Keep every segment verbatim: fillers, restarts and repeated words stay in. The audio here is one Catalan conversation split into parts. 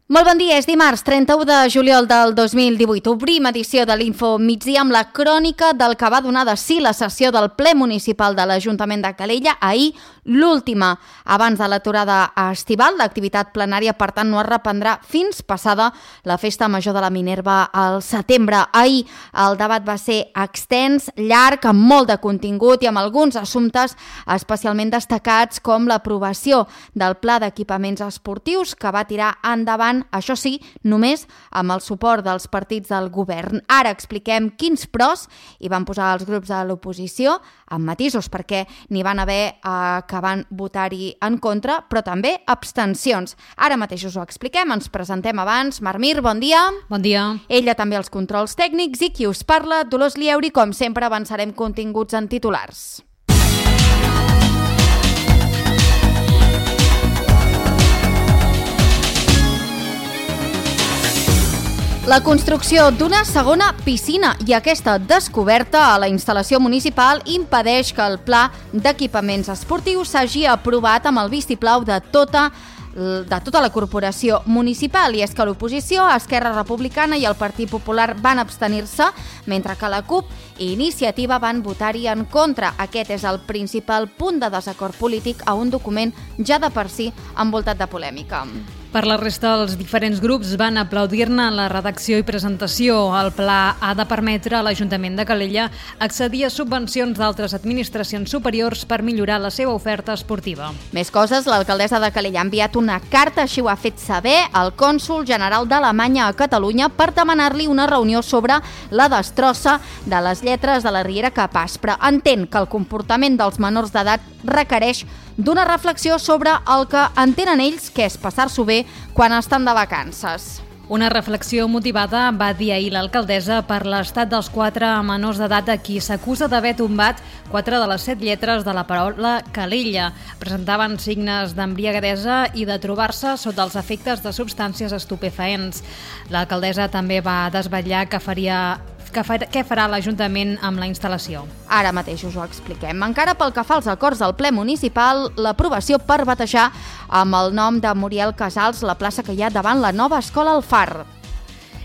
Molt bon dia, és dimarts trenta-u de juliol del dos mil divuit. Obrim edició de l'Info Migdia amb la crònica del que va donar de si la sessió del ple municipal de l'Ajuntament de Calella ahir, l'última. Abans de l'aturada estival, l'activitat plenària, per tant, no es reprendrà fins passada la Festa Major de la Minerva al setembre. Ahir el debat va ser extens, llarg, amb molt de contingut i amb alguns assumptes especialment destacats com l'aprovació del Pla d'Equipaments Esportius que va tirar endavant, això sí, només amb el suport dels partits del govern. Ara expliquem quins pros hi van posar els grups de l'oposició, amb matisos, perquè n'hi van haver eh, que van votar-hi en contra, però també abstencions. Ara mateix us ho expliquem, ens presentem abans. Marc Mir, bon dia. Bon dia. Ella també els controls tècnics i qui us parla, Dolors Lieuri. Com sempre avançarem continguts en titulars. La construcció d'una segona piscina i aquesta descoberta a la instal·lació municipal impedeix que el pla d'equipaments esportius s'hagi aprovat amb el vistiplau de tota de tota la corporació municipal, i és que l'oposició, Esquerra Republicana i el Partit Popular van abstenir-se, mentre que la CUP i Iniciativa van votar-hi en contra. Aquest és el principal punt de desacord polític a un document ja de per si envoltat de polèmica. Per la resta, els diferents grups van aplaudir-ne la redacció i presentació. El pla ha de permetre a l'Ajuntament de Calella accedir a subvencions d'altres administracions superiors per millorar la seva oferta esportiva. Més coses, l'alcaldessa de Calella ha enviat una carta, així ho ha fet saber al cònsol general d'Alemanya a Catalunya per demanar-li una reunió sobre la destrossa de les lletres de la Riera Cap Aspre. Entén que el comportament dels menors d'edat requereix d'una reflexió sobre el que entenen ells que és passar-s'ho bé quan estan de vacances. Una reflexió motivada, va dir ahir l'alcaldessa, per l'estat dels quatre menors d'edat a qui s'acusa d'haver tombat quatre de les set lletres de la paraula Calella. Presentaven signes d'embriagadesa i de trobar-se sota els efectes de substàncies estupefaents. L'alcaldessa també va desvetllar que faria Que fa, què farà l'Ajuntament amb la instal·lació. Ara mateix us ho expliquem. Encara pel que fa als acords del ple municipal, l'aprovació per batejar amb el nom de Muriel Casals la plaça que hi ha davant la nova escola al Far.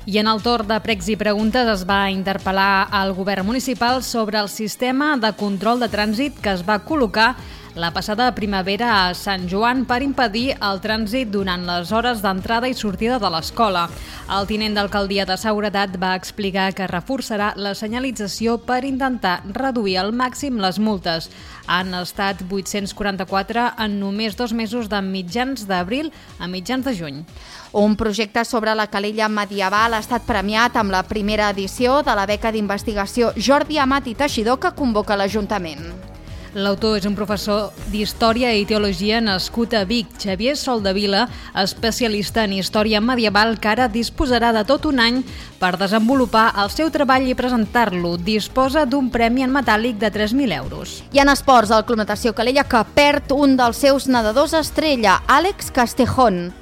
I en el torn de pregs i preguntes es va interpel·lar al govern municipal sobre el sistema de control de trànsit que es va col·locar la passada primavera a Sant Joan per impedir el trànsit durant les hores d'entrada i sortida de l'escola. El tinent d'alcaldia de Seguretat va explicar que reforçarà la senyalització per intentar reduir al màxim les multes. Han estat vuit-cents quaranta-quatre en només dos mesos de mitjans d'abril a mitjans de juny. Un projecte sobre la Calella medieval ha estat premiat amb la primera edició de la beca d'investigació Jordi Amat i Teixidor que convoca l'Ajuntament. L'autor és un professor d'Història i Teologia nascut a Vic, Xavier Soldevila, especialista en història medieval, que ara disposarà de tot un any per desenvolupar el seu treball i presentar-lo. Disposa d'un premi en metàl·lic de tres mil euros. I en esports, el Club Natació Calella que perd un dels seus nedadors estrella, Àlex Castejón,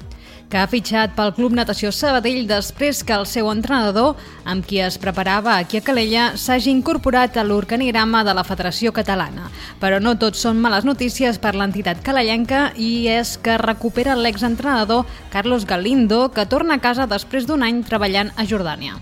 que ha fitxat pel Club Natació Sabadell després que el seu entrenador, amb qui es preparava aquí a Calella, s'hagi incorporat a l'organigrama de la Federació Catalana. Però no tot són males notícies per l'entitat calellenca, i és que recupera l'exentrenador Carlos Galindo, que torna a casa després d'un any treballant a Jordània.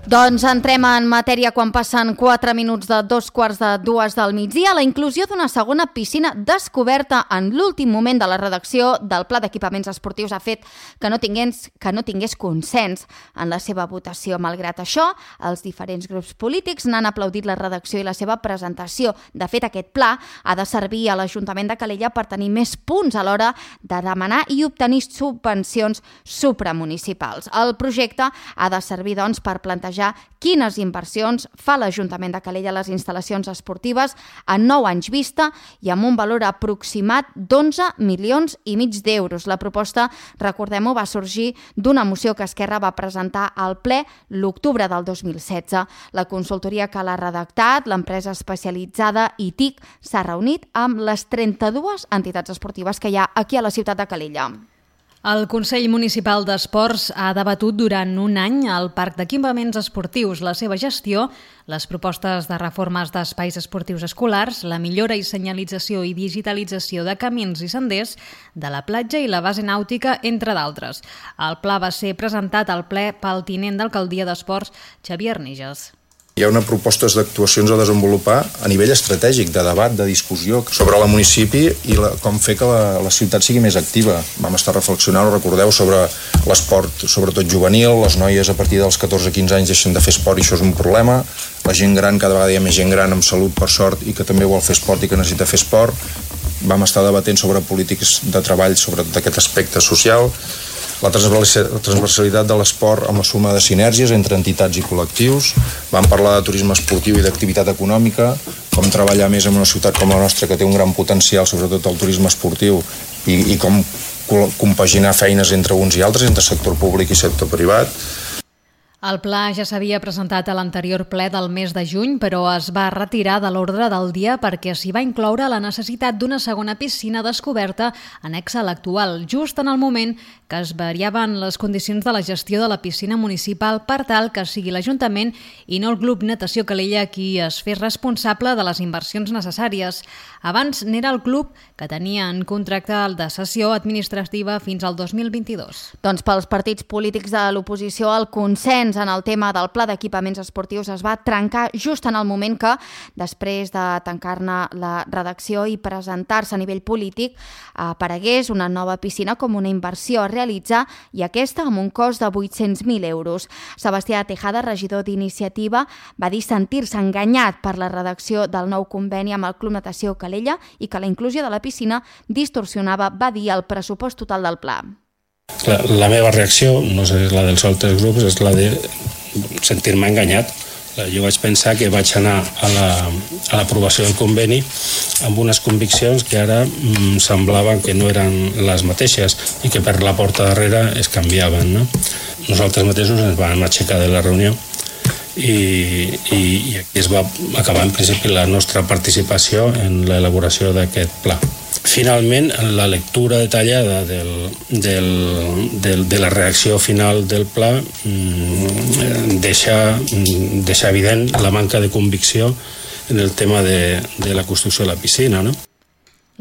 Doncs entrem en matèria quan passen quatre minuts de dos quarts de dues del migdia. La inclusió d'una segona piscina descoberta en l'últim moment de la redacció del Pla d'Equipaments Esportius ha fet que no tingués, que no tingués consens en la seva votació. Malgrat això, els diferents grups polítics n'han aplaudit la redacció i la seva presentació. De fet, aquest pla ha de servir a l'Ajuntament de Calella per tenir més punts a l'hora de demanar i obtenir subvencions supramunicipals. El projecte ha de servir, doncs, per plantejar quines inversions fa l'Ajuntament de Calella a les instal·lacions esportives en nou anys vista i amb un valor aproximat d'onze milions i mig d'euros. La proposta, recordem-ho, va sorgir d'una moció que Esquerra va presentar al ple l'octubre del dos mil setze. La consultoria que l'ha redactat, l'empresa especialitzada I T I C, s'ha reunit amb les trenta-dues entitats esportives que hi ha aquí a la ciutat de Calella. El Consell Municipal d'Esports ha debatut durant un any al Parc d'Equipaments Esportius, la seva gestió, les propostes de reformes d'espais esportius escolars, la millora i senyalització i digitalització de camins i senders, de la platja i la base nàutica, entre d'altres. El pla va ser presentat al ple pel tinent d'alcaldia d'Esports, Xavier Arniges. Hi ha una propostes d'actuacions a desenvolupar a nivell estratègic, de debat, de discussió sobre el municipi i la, com fer que la, la ciutat sigui més activa. Vam estar reflexionant, ho recordeu, sobre l'esport, sobretot juvenil, les noies a partir dels catorze a quinze anys deixen de fer esport i això és un problema, la gent gran, cada vegada hi ha més gent gran amb salut per sort i que també vol fer esport i que necessita fer esport. Vam estar debatent sobre polítiques de treball sobre aquest aspecte social, la transversalitat de l'esport amb la suma de sinergies entre entitats i col·lectius. Vam parlar de turisme esportiu i d'activitat econòmica, com treballar més en una ciutat com la nostra que té un gran potencial, sobretot el turisme esportiu, i, i com compaginar feines entre uns i altres, entre sector públic i sector privat. El pla ja s'havia presentat a l'anterior ple del mes de juny, però es va retirar de l'ordre del dia perquè s'hi va incloure la necessitat d'una segona piscina descoberta annexa a l'actual, just en el moment que es variaven les condicions de la gestió de la piscina municipal per tal que sigui l'Ajuntament i no el Club Natació Calella qui es fes responsable de les inversions necessàries. Abans n'era el club que tenia en contracte de cessió administrativa fins al dos mil vint-i-dos. Doncs pels partits polítics de l'oposició, el consens en el tema del pla d'equipaments esportius es va trencar just en el moment que, després de tancar-ne la redacció i presentar-se a nivell polític, aparegués una nova piscina com una inversió a realitzar i aquesta amb un cost de vuit-cents mil euros. Sebastià Tejada, regidor d'Iniciativa, va dir sentir-se enganyat per la redacció del nou conveni amb el Club Natació Calella i que la inclusió de la piscina distorsionava, va dir, el pressupost total del pla. La, la meva reacció, no sé, la dels altres grups, és la de sentir-me enganyat. Jo vaig pensar que vaig anar a l'aprovació del conveni amb unes conviccions que ara mm, semblaven que no eren les mateixes i que per la porta darrere es canviaven, no? Nosaltres mateixos ens vam aixecar de la reunió i, i, i aquí es va acabar en principi la nostra participació en l'elaboració d'aquest pla. Finalment, la lectura detallada del, del, del, de la reacció final del pla mm, deixa, deixa evident la manca de convicció en el tema de, de la construcció de la piscina, no?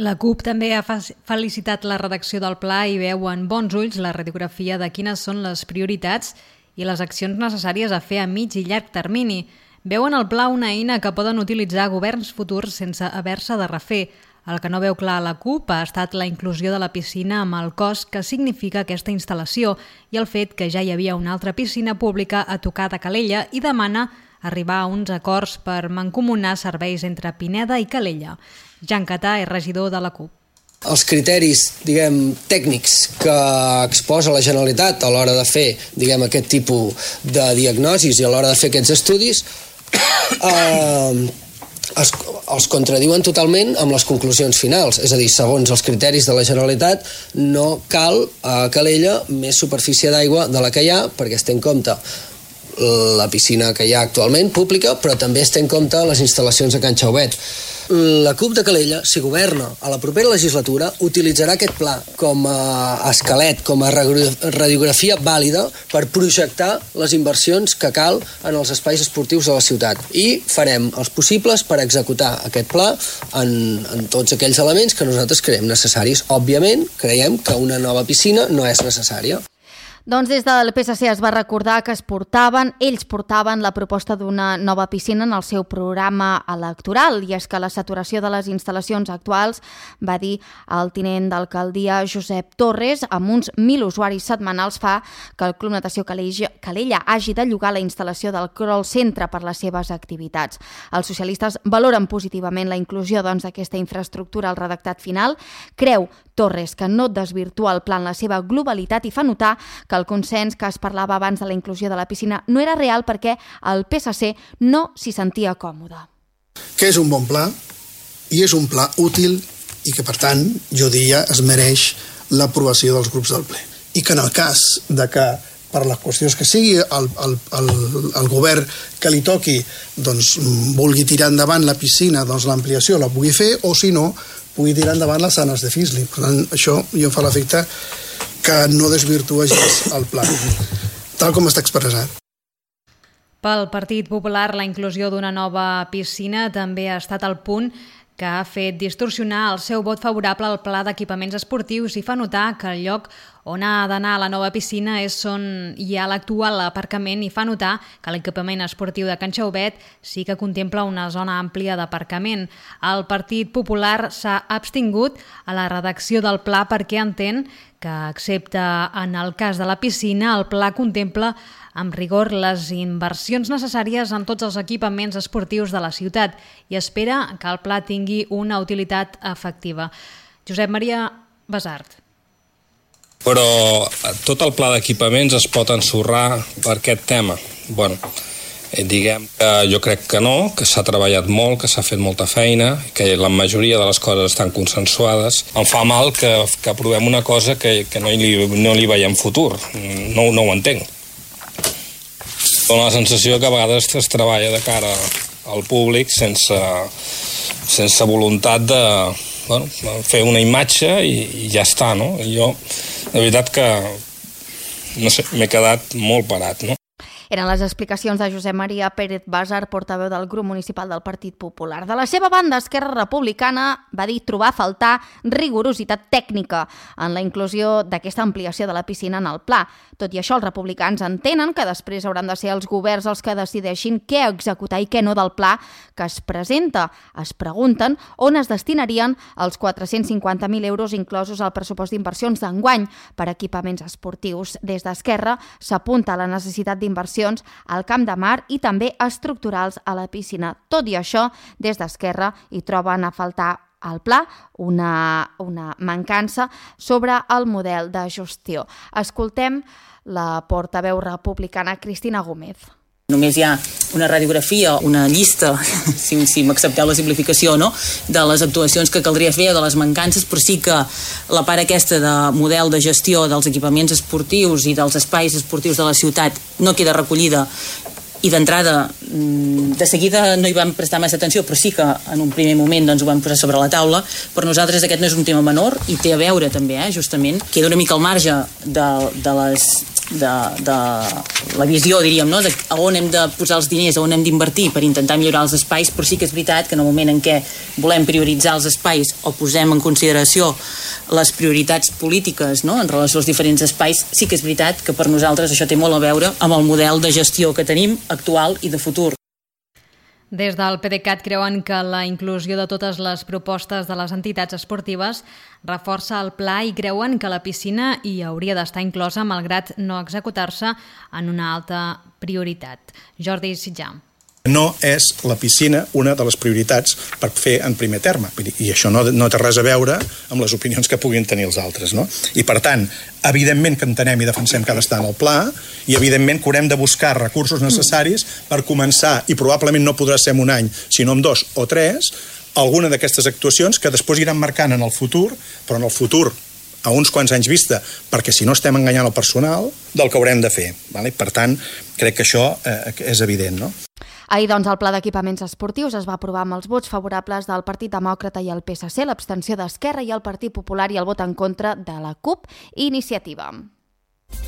La CUP també ha felicitat la redacció del pla i veu en bons ulls la radiografia de quines són les prioritats i les accions necessàries a fer a mig i llarg termini. Veuen el pla una eina que poden utilitzar governs futurs sense haver-se de refer. El que no veu clar a la CUP ha estat la inclusió de la piscina amb el cost que significa aquesta instal·lació i el fet que ja hi havia una altra piscina pública a tocar de Calella i demana arribar a uns acords per mancomunar serveis entre Pineda i Calella. Jan Catà és regidor de la CUP. Els criteris, diguem, tècnics que exposa la Generalitat a l'hora de fer, diguem, aquest tipus de diagnosis i a l'hora de fer aquests estudis eh, es, els contradiuen totalment amb les conclusions finals. És a dir, segons els criteris de la Generalitat, no cal a Calella més superfície d'aigua de la que hi ha, perquè es té en compte la piscina que hi ha actualment, pública, però també es té en compte les instal·lacions a Can Xauvet. La CUP de Calella, si governa a la propera legislatura, utilitzarà aquest pla com a esquelet, com a radiografia vàlida per projectar les inversions que cal en els espais esportius de la ciutat. I farem els possibles per executar aquest pla en, en tots aquells elements que nosaltres creiem necessaris. Òbviament, creiem que una nova piscina no és necessària. Doncs des del P S C es va recordar que es portaven, ells portaven la proposta d'una nova piscina en el seu programa electoral, i és que la saturació de les instal·lacions actuals, va dir el tinent d'alcaldia Josep Torres, amb uns mil usuaris setmanals fa que el Club Natació Calella hagi de llogar la instal·lació del crawl centre per les seves activitats. Els socialistes valoren positivament la inclusió doncs, d'aquesta infraestructura al redactat final. Creu Torres que no desvirtua el pla en la seva globalitat i fa notar que el consens que es parlava abans de la inclusió de la piscina no era real perquè el P S C no s'hi sentia còmode. Que és un bon pla i és un pla útil i que, per tant, jo diria, es mereix l'aprovació dels grups del ple. I que en el cas de que per les qüestions que sigui, el, el, el, el govern que li toqui doncs, vulgui tirar endavant la piscina, doncs l'ampliació la pugui fer, o si no, pugui tirar endavant les sanes de Fisley. Per tant, això jo em fa l'efecte que no desvirtuegis el pla, tal com està expressat. Pel Partit Popular, la inclusió d'una nova piscina també ha estat el punt que ha fet distorsionar el seu vot favorable al pla d'equipaments esportius i fa notar que el lloc on ha d'anar la nova piscina és on hi ha l'actual aparcament i fa notar que l'equipament esportiu de Can Xaubet sí que contempla una zona àmplia d'aparcament. El Partit Popular s'ha abstingut a la redacció del pla perquè entén que, excepte en el cas de la piscina, el pla contempla amb rigor les inversions necessàries en tots els equipaments esportius de la ciutat i espera que el pla tingui una utilitat efectiva. Josep Maria Basart. Però tot el pla d'equipaments es pot ensorrar per aquest tema. Bueno, eh, diguem que jo crec que no, que s'ha treballat molt, que s'ha fet molta feina, que la majoria de les coses estan consensuades. Em fa mal que, que aprovem una cosa que, que no, li, no li veiem futur. No, no ho entenc. Dóna la sensació que a vegades es treballa de cara al públic sense, sense voluntat de bueno, fer una imatge i, i ja està, no? I jo, de veritat que, no sé, m'he quedat molt parat, no? Eren les explicacions de Josep Maria Pérez Basart, portaveu del grup municipal del Partit Popular. De la seva banda, Esquerra Republicana va dir trobar a faltar rigorositat tècnica en la inclusió d'aquesta ampliació de la piscina en el pla. Tot i això, els republicans entenen que després hauran de ser els governs els que decideixin què executar i què no del pla que es presenta. Es pregunten on es destinarien els quatre-cents cinquanta mil euros inclosos al pressupost d'inversions d'enguany per equipaments esportius. Des d'Esquerra s'apunta a la necessitat d'inversions al camp de mar i també estructurals a la piscina. Tot i això, des d'Esquerra hi troben a faltar al pla una, una mancança sobre el model de gestió. Escoltem la portaveu republicana Cristina Gómez. Només hi ha una radiografia, una llista, si, si m'accepteu la simplificació, no? De les actuacions que caldria fer o de les mancances, però sí que la part aquesta de model de gestió dels equipaments esportius i dels espais esportius de la ciutat no queda recollida i d'entrada, de seguida no hi vam prestar massa atenció, però sí que en un primer moment doncs, ho vam posar sobre la taula. Per nosaltres aquest no és un tema menor i té a veure també, eh, justament, queda una mica al marge de, de les de, de la visió, diríem, no? De on hem de posar els diners, on hem d'invertir per intentar millorar els espais, però sí que és veritat que en el moment en què volem prioritzar els espais o posem en consideració les prioritats polítiques, no? En relació als diferents espais, sí que és veritat que per nosaltres això té molt a veure amb el model de gestió que tenim actual i de futur. Des del PDeCAT creuen que la inclusió de totes les propostes de les entitats esportives reforça el pla i creuen que la piscina hi hauria d'estar inclosa malgrat no executar-se en una alta prioritat. Jordi Sitjà. No és la piscina una de les prioritats per fer en primer terme. I això no, no té res a veure amb les opinions que puguin tenir els altres. No? I per tant, evidentment que entenem i defensem que ha d'estar en el pla i evidentment que haurem de buscar recursos necessaris per començar, i probablement no podrà ser en un any, sinó en dos o tres, alguna d'aquestes actuacions que després iran marcant en el futur, però en el futur a uns quants anys vista, perquè si no estem enganyant el personal del que haurem de fer. Vale? Per tant, crec que això eh, és evident, no? Ahir, doncs, el pla d'equipaments esportius es va aprovar amb els vots favorables del Partit Demòcrata i el P S C, l'abstenció d'Esquerra i el Partit Popular i el vot en contra de la CUP i Iniciativa.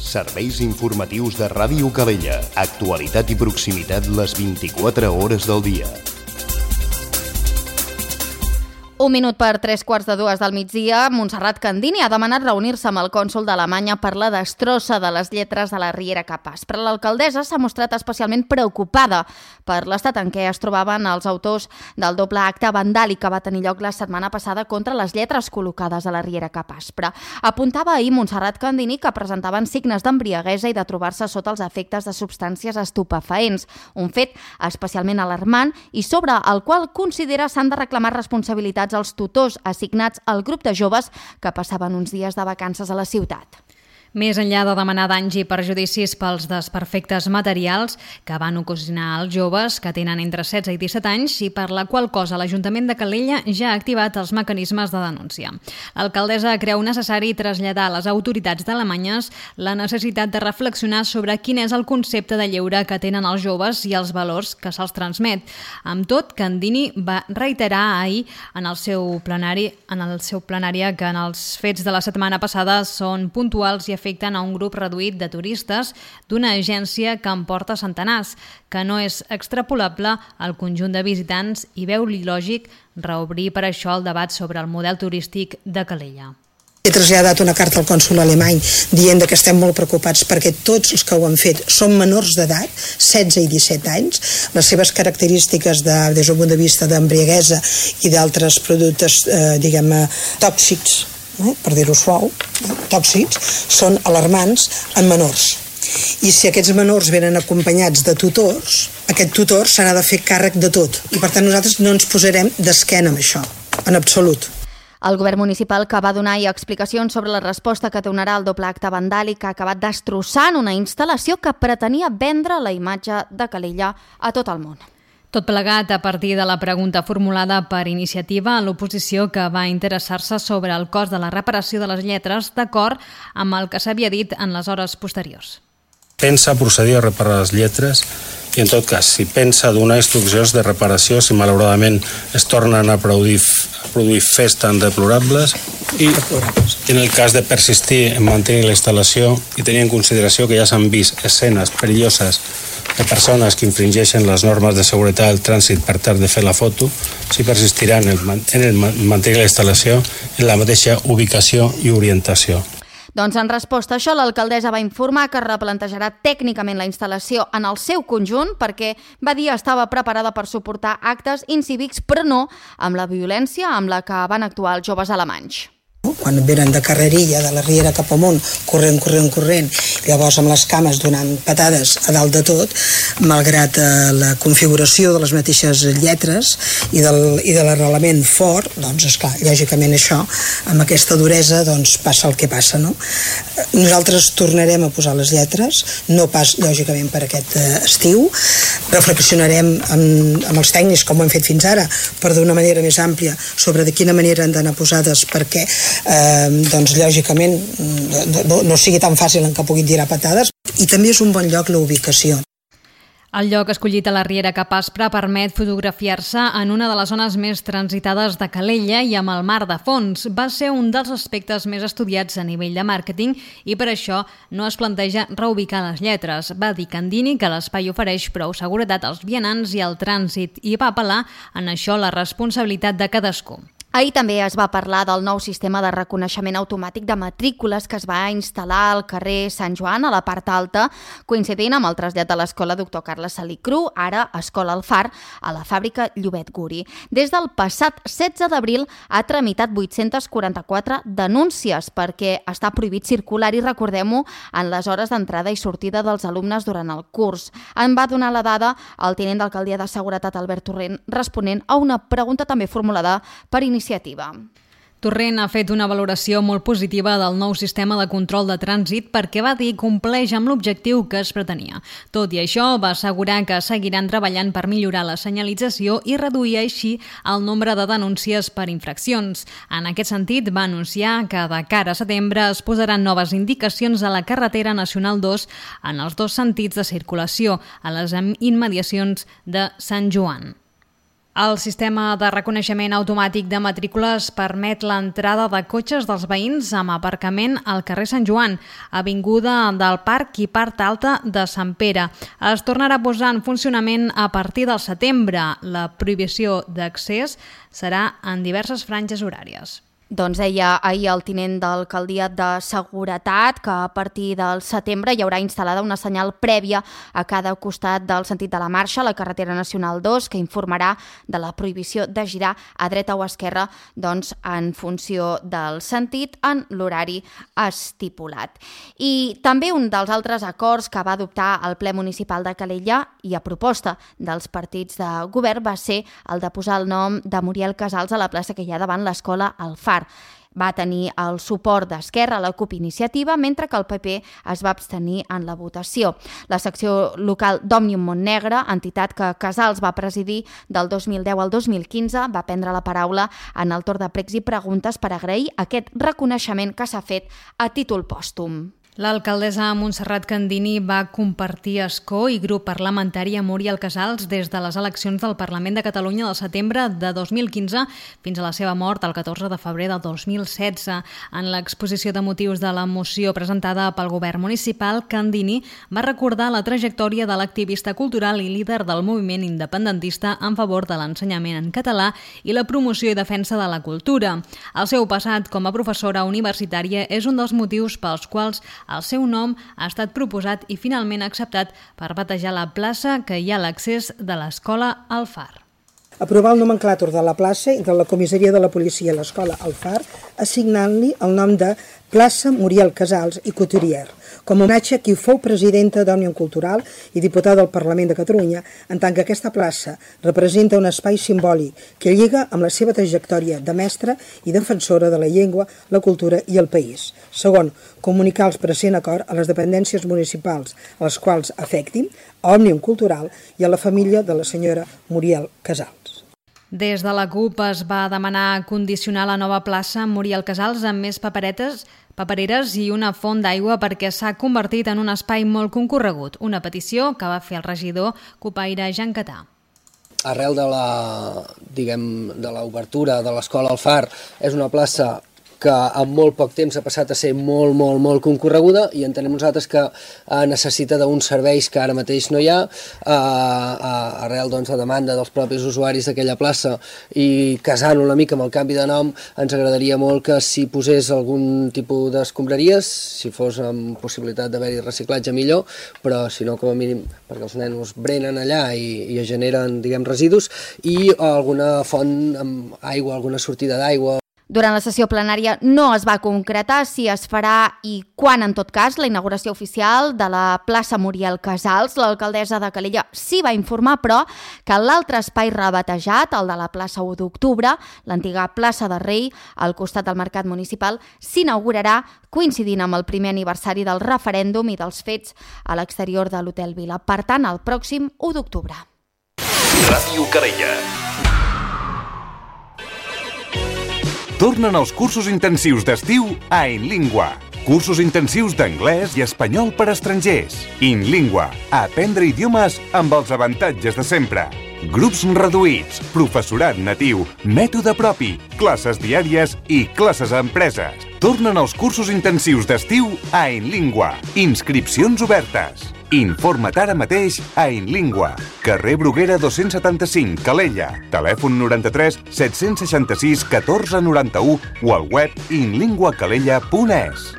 Serveis informatius de Ràdio Calella. Actualitat i proximitat les vint-i-quatre hores del dia. Un minut per tres quarts de dues del migdia, Montserrat Candini ha demanat reunir-se amb el cònsol d'Alemanya per la destrossa de les lletres de la Riera Capaç. Però l'alcaldessa s'ha mostrat especialment preocupada per l'estat en què es trobaven els autors del doble acte vandàlic que va tenir lloc la setmana passada contra les lletres col·locades a la Riera Capaç. Però apuntava ahir Montserrat Candini que presentaven signes d'embriaguesa i de trobar-se sota els efectes de substàncies estupefaents, un fet especialment alarmant i sobre el qual considera s'han de reclamar responsabilitats als tutors assignats al grup de joves que passaven uns dies de vacances a la ciutat. Més enllà de demanar danys i perjudicis pels desperfectes materials que van ocasionar als joves que tenen entre setze i disset anys i per la qual cosa l'Ajuntament de Calella ja ha activat els mecanismes de denúncia. L'alcaldessa creu necessari traslladar a les autoritats d'Alemanyes la necessitat de reflexionar sobre quin és el concepte de lleure que tenen els joves i els valors que se'ls transmet. Amb tot, Candini va reiterar ahir en el seu plenari, en el seu plenari que en els fets de la setmana passada són puntuals i efectius afecten a un grup reduït de turistes d'una agència que en porta centenars, que no és extrapolable al conjunt de visitants i veu lògic reobrir per això el debat sobre el model turístic de Calella. He traslladat una carta al cònsol alemany dient que estem molt preocupats perquè tots els que ho han fet són menors d'edat, setze i disset anys. Les seves característiques de, des del punt de vista d'embriaguesa i d'altres productes eh, diguem, tòxics, Eh, per dir-ho suau, eh, tòxics, són alarmants en menors. I si aquests menors venen acompanyats de tutors, aquest tutor s'ha de fer càrrec de tot. I per tant nosaltres no ens posarem d'esquena amb això, en absolut. El govern municipal que va donar explicacions sobre la resposta que donarà al doble acte vandàlic que ha acabat destrossant una instal·lació que pretenia vendre la imatge de Calella a tot el món. Tot plegat a partir de la pregunta formulada per iniciativa a l'oposició que va interessar-se sobre el cost de la reparació de les lletres d'acord amb el que s'havia dit en les hores posteriors. Pensa procedir a reparar les lletres i, en tot cas, si pensa donar instruccions de reparació si malauradament es tornen a produir, a produir fets tan deplorables i, en el cas de persistir en mantenir la instal·lació i tenir en consideració que ja s'han vist escenes perilloses de persones que infringeixen les normes de seguretat del trànsit per tal de fer la foto, si persistiran en el, en el mantenir la instal·lació en la mateixa ubicació i orientació. Doncs en resposta a això, l'alcaldessa va informar que replantejarà tècnicament la instal·lació en el seu conjunt perquè, va dir, estava preparada per suportar actes incívics, però no amb la violència amb la que van actuar els joves alemanys. Quan venen de carrerilla, de la Riera cap amunt, corrent, corrent, corrent, llavors amb les cames donant patades a dalt de tot, malgrat eh, la configuració de les mateixes lletres i, del, i de l'arrelament fort, doncs, esclar, lògicament això, amb aquesta duresa, doncs, passa el que passa, no? Nosaltres tornarem a posar les lletres, no pas, lògicament, per aquest eh, estiu, reflexionarem amb, amb els tècnics, com ho hem fet fins ara, per d'una manera més àmplia, sobre de quina manera han d'anar posades, perquè Eh, doncs lògicament no, no sigui tan fàcil en què puguin tirar patades. I també és un bon lloc la ubicació. El lloc escollit a la Riera Capaspre permet fotografiar-se en una de les zones més transitades de Calella i amb el mar de fons. Va ser un dels aspectes més estudiats a nivell de màrqueting i per això no es planteja reubicar les lletres. Va dir Candini que l'espai ofereix prou seguretat als vianants i al trànsit i va apel·lar en això la responsabilitat de cadascú. Ahir també es va parlar del nou sistema de reconeixement automàtic de matrícules que es va instal·lar al carrer Sant Joan, a la part alta, coincidint amb el trasllat de l'escola doctor Carles Salicru, ara Escola El Far, a la fàbrica Llobet Guri. Des del passat setze d'abril ha tramitat vuit-centes quaranta-quatre denúncies perquè està prohibit circular i, recordem-ho, en les hores d'entrada i sortida dels alumnes durant el curs. En va donar la dada el tinent d'alcaldia de Seguretat, Albert Torrent, responent a una pregunta també formulada per iniciativa. Torrent ha fet una valoració molt positiva del nou sistema de control de trànsit perquè va dir compleix amb l'objectiu que es pretenia. Tot i això, va assegurar que seguiran treballant per millorar la senyalització i reduir així el nombre de denúncies per infraccions. En aquest sentit, va anunciar que de cara a setembre es posaran noves indicacions a la carretera nacional dos en els dos sentits de circulació, a les immediacions de Sant Joan. El sistema de reconeixement automàtic de matrícules permet l'entrada de cotxes dels veïns amb aparcament al carrer Sant Joan, avinguda del Parc i part alta de Sant Pere. Es tornarà a posar en funcionament a partir del setembre. La prohibició d'accés serà en diverses franges horàries. Doncs deia ahir el tinent d'alcaldia de Seguretat que a partir del setembre hi haurà instal·lada una senyal prèvia a cada costat del sentit de la marxa, la carretera nacional dos, que informarà de la prohibició de girar a dreta o a esquerra doncs, en funció del sentit en l'horari estipulat. I també un dels altres acords que va adoptar el ple municipal de Calella i a proposta dels partits de govern va ser el de posar el nom de Muriel Casals a la plaça que hi ha davant l'escola El Far. va tenir el suport d'Esquerra, la CUP Iniciativa, mentre que el P P es va abstenir en la votació. La secció local d'Òmnium Montnegre, entitat que Casals va presidir del dos mil deu al dos mil quinze, va prendre la paraula en el torn de pregs i preguntes per agrair aquest reconeixement que s'ha fet a títol pòstum. L'alcaldessa Montserrat Candini va compartir escó i grup parlamentari a Muriel Casals des de les eleccions del Parlament de Catalunya del setembre de dos mil quinze fins a la seva mort el catorze de febrer del dos mil setze. En l'exposició de motius de la moció presentada pel govern municipal, Candini va recordar la trajectòria de l'activista cultural i líder del moviment independentista en favor de l'ensenyament en català i la promoció i defensa de la cultura. El seu passat com a professora universitària és un dels motius pels quals el seu nom ha estat proposat i finalment acceptat per batejar la plaça que hi ha a l'accés de l'escola al Far. Aprovar el nomenclàtor de la plaça i de la comissaria de la policia a l'escola al Far, assignant-li el nom de plaça Muriel Casals i Couturier, com a homenatge a qui fou presidenta d'Òmnium Cultural i diputada del Parlament de Catalunya, en tant que aquesta plaça representa un espai simbòlic que lliga amb la seva trajectòria de mestra i defensora de la llengua, la cultura i el país. Segon, comunicar els present acord a les dependències municipals a les quals afectin, a Òmnium Cultural i a la família de la senyora Muriel Casals. Des de la CUP es va demanar condicionar la nova plaça Muriel Casals amb més paperetes, papereres i una font d'aigua perquè s'ha convertit en un espai molt concorregut, una petició que va fer el regidor copaire Jan Catà. Arrel de la, diguem, de l'obertura de l'escola al Far, és una plaça que en molt poc temps ha passat a ser molt, molt, molt concorreguda i entenem nosaltres que eh, necessita d'uns serveis que ara mateix no hi ha, eh, eh, arrel doncs, de demanda dels propis usuaris d'aquella plaça i casant una mica amb el canvi de nom, ens agradaria molt que si posés algun tipus d'escombraries, si fos amb possibilitat d'haver-hi reciclatge millor, però si no com a mínim perquè els nenos brenen allà i, i es generen, diguem, residus, i alguna font amb aigua, alguna sortida d'aigua. Durant la sessió plenària no es va concretar si es farà i quan, en tot cas, la inauguració oficial de la plaça Muriel Casals. L'alcaldessa de Calella sí va informar, però, que l'altre espai rebatejat, el de la plaça u d'octubre, l'antiga plaça de Rei, al costat del mercat municipal, s'inaugurarà coincidint amb el primer aniversari del referèndum i dels fets a l'exterior de l'Hotel Vila. Per tant, el pròxim u d'octubre. Ràdio Calella. Tornen els cursos intensius d'estiu a InLingua. Cursos intensius d'anglès i espanyol per a estrangers. InLingua. Aprendre idiomes amb els avantatges de sempre. Grups reduïts, professorat natiu, mètode propi, classes diàries i classes a empreses. Tornen els cursos intensius d'estiu a InLingua. Inscripcions obertes. Informa't ara mateix a InLingua. Carrer Bruguera dos-cents setanta-cinc, Calella. Telèfon noranta-tres set-cents seixanta-sis catorze noranta-u o al web inlinguacalella punt es.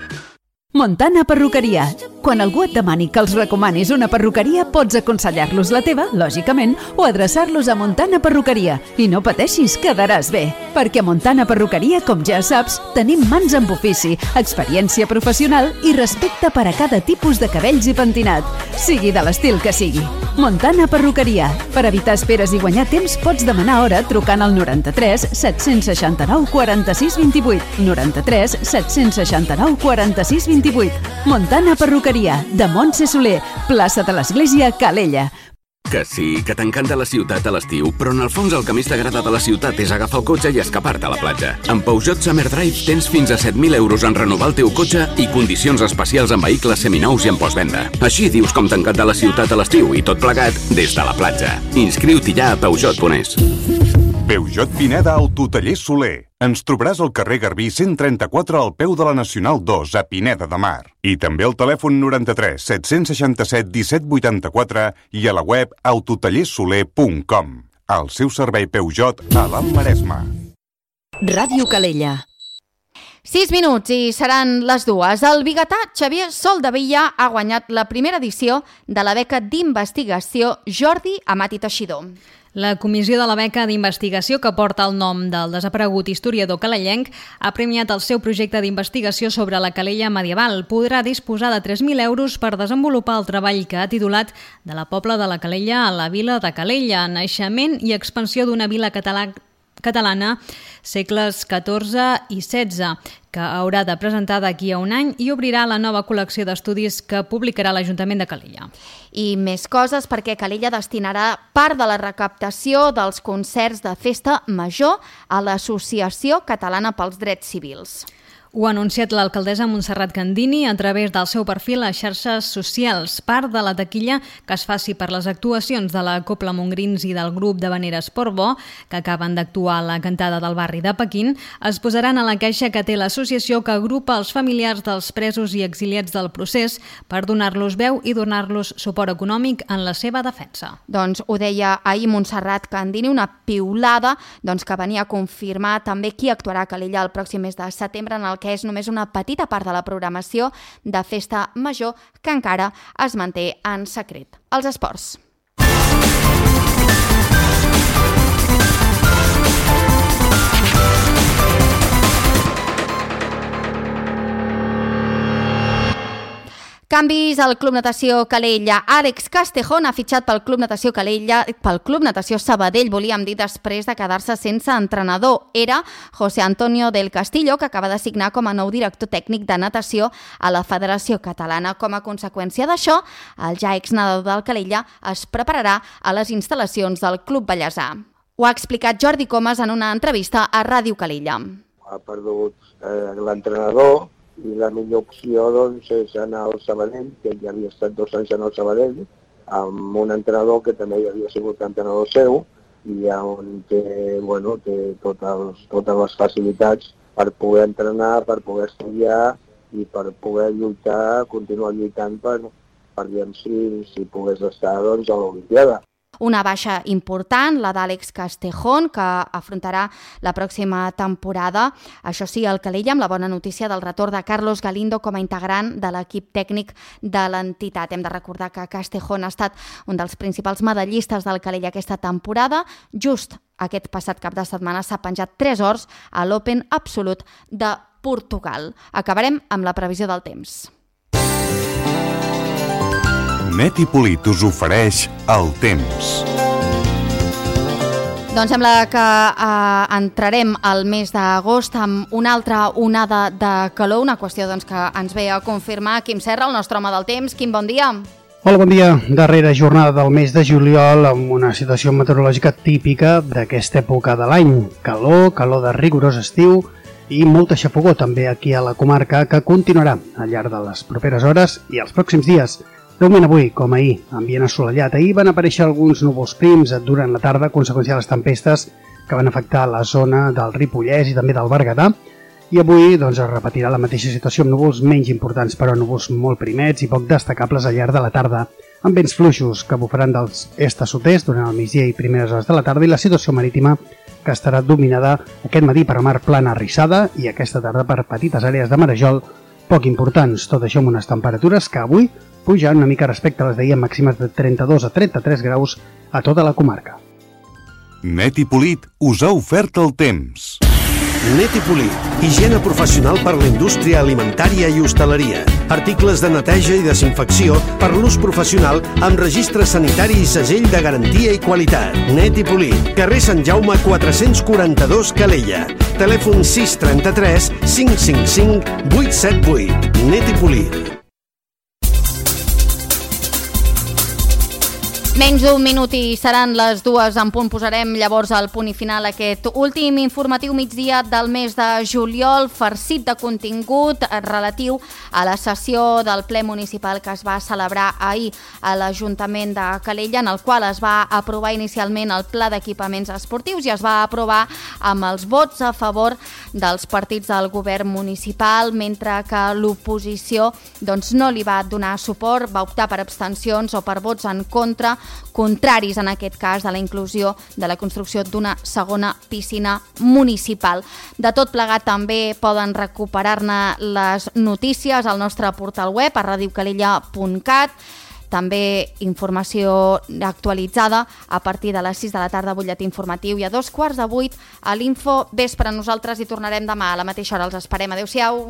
Montana Perruqueria. Quan algú et demani que els recomanis una perruqueria, pots aconsellar-los la teva, lògicament, o adreçar-los a Montana Perruqueria. I no pateixis, quedaràs bé. Perquè a Montana Perruqueria, com ja saps, tenim mans amb ofici, experiència professional i respecte per a cada tipus de cabells i pentinat, sigui de l'estil que sigui. Montana Perruqueria. Per evitar esperes i guanyar temps, pots demanar hora trucant al noranta-tres set-cents seixanta-nou quaranta-sis vint-i-vuit, noranta-tres set-cents seixanta-nou quaranta-sis vint-i-vuit. Montana Perruqueria, de Montse Soler, plaça de l'Església, Calella. Que sí, que t'encanta la ciutat a l'estiu, però en el fons el que més t'agrada de la ciutat és agafar el cotxe i escapar-te a la platja. Amb Peugeot Summer Drive tens fins a set mil euros en renovar el teu cotxe i condicions especials en vehicles seminous i en postvenda. Així dius com t'encanta la ciutat a l'estiu i tot plegat des de la platja. Inscriu-t'hi ja a peugeot punt es. Peugeot Pineda Autotaller Soler. Ens trobaràs al carrer Garbí cent trenta-quatre al peu de la Nacional dos a Pineda de Mar. I també al telèfon noranta-tres set-cents seixanta-set disset vuitanta-quatre i a la web autotallersoler punt com. El seu servei Peugeot a l'Alt Maresme. Ràdio Calella. Sis minuts i seran les dues. El biguetà Xavier Soldevilla ha guanyat la primera edició de la beca d'investigació Jordi Amat i Teixidor. La comissió de la beca d'investigació que porta el nom del desaparegut historiador calellenc ha premiat el seu projecte d'investigació sobre la Calella medieval. Podrà disposar de tres mil euros per desenvolupar el treball que ha titulat De la Pobla de la Calella a la vila de Calella, naixement i expansió d'una vila catalana catalana segles catorze i setze, que haurà de presentar d'aquí a un any i obrirà la nova col·lecció d'estudis que publicarà l'Ajuntament de Calella. I més coses, perquè Calella destinarà part de la recaptació dels concerts de festa major a l'Associació Catalana pels Drets Civils. Ho ha anunciat l'alcaldessa Montserrat Candini a través del seu perfil a xarxes socials. Part de la taquilla que es faci per les actuacions de la Copla Montgrins i del grup de Vaneres Portbó, que acaben d'actuar a la cantada del barri de Pequín, es posaran a la caixa que té l'associació que agrupa els familiars dels presos i exiliats del procés per donar-los veu i donar-los suport econòmic en la seva defensa. Doncs ho deia ahir Montserrat Candini, una piulada doncs, que venia a confirmar també qui actuarà a Calella el pròxim mes de setembre, en el que és només una petita part de la programació de festa major que encara es manté en secret. Els esports. Canvis al Club Natació Calella. Àlex Castejón ha fitxat pel Club Natació Calella, pel Club Natació Sabadell, volíem dir, després de quedar-se sense entrenador. Era José Antonio del Castillo, que acaba de signar com a nou director tècnic de natació a la Federació Catalana. Com a conseqüència d'això, el ja exnadador del Calella es prepararà a les instal·lacions del Club Bellesà. Ho ha explicat Jordi Comas en una entrevista a Ràdio Calella. Ha perdut eh, l'entrenador, i la millor opció doncs, és anar al Sabadell, que ja havia estat dos anys en el Sabadell, amb un entrenador que també havia sigut entrenador seu, i on té, bueno, té totes, totes les facilitats per poder entrenar, per poder estudiar i per poder lluitar, continuar lluitant per, per veure si, si pogués estar doncs, a l'Olimpiada. Una baixa important, la d'Àlex Castejón, que afrontarà la pròxima temporada. Això sí, el Calella, amb la bona notícia del retorn de Carlos Galindo com a integrant de l'equip tècnic de l'entitat. Hem de recordar que Castejón ha estat un dels principals medallistes del Calella aquesta temporada. Just aquest passat cap de setmana s'ha penjat tres ors a l'Open Absolut de Portugal. Acabarem amb la previsió del temps. Neti Polit us ofereix el temps. Doncs sembla que eh, entrarem al mes d'agost amb una altra onada de calor, una qüestió doncs, que ens ve a confirmar Quim Serra, el nostre home del temps. Quim, bon dia. Hola, bon dia. Darrera jornada del mes de juliol amb una situació meteorològica típica d'aquesta època de l'any. Calor, calor de rigorós estiu i molta xafogor també aquí a la comarca, que continuarà al llarg de les properes hores i els pròxims dies. De moment avui, com ahir, ambient assolellat. Ahir van aparèixer alguns núvols prims durant la tarda, a conseqüència de les tempestes que van afectar la zona del Ripollès i també del Berguedà. I avui doncs, es repetirà la mateixa situació amb núvols menys importants, però núvols molt primets i poc destacables al llarg de la tarda, amb vents fluixos que bufaran dels est a sud-est durant el migdia i primeres hores de la tarda, i la situació marítima que estarà dominada aquest matí per mar plana arrissada i aquesta tarda per petites àrees de marejol poc importants. Tot això amb unes temperatures que avui pujan una mica respecte a les d'ahir, màximes de trenta-dos a trenta-tres graus a tota la comarca. Neti Polit us ha ofert el temps. Neti Polit, higiene professional per la indústria alimentària i hostaleria. Articles de neteja i desinfecció per l'ús professional amb registre sanitari i segell de garantia i qualitat. Neti Polit, carrer Sant Jaume quatre-cents quaranta-dos, Calella. Telèfon sis trenta-tres cinc cinc cinc vuit set vuit. Neti Polit. Menys d'un minut i seran les dues en punt. Posarem llavors el punt i final a aquest últim informatiu migdia del mes de juliol, farcit de contingut relatiu a la sessió del ple municipal que es va celebrar ahir a l'Ajuntament de Calella, en el qual es va aprovar inicialment el pla d'equipaments esportius i es va aprovar amb els vots a favor dels partits del govern municipal, mentre que l'oposició doncs, no li va donar suport, va optar per abstencions o per vots en contra, contraris en aquest cas de la inclusió de la construcció d'una segona piscina municipal. De tot plegat també poden recuperar-ne les notícies al nostre portal web a radio calella punt cat, també informació actualitzada a partir de les sis de la tarda, butlletí informatiu, i a dos quarts de vuit a l'Info Vespre. Nosaltres hi tornarem demà a la mateixa hora. Els esperem. Adéu-siau.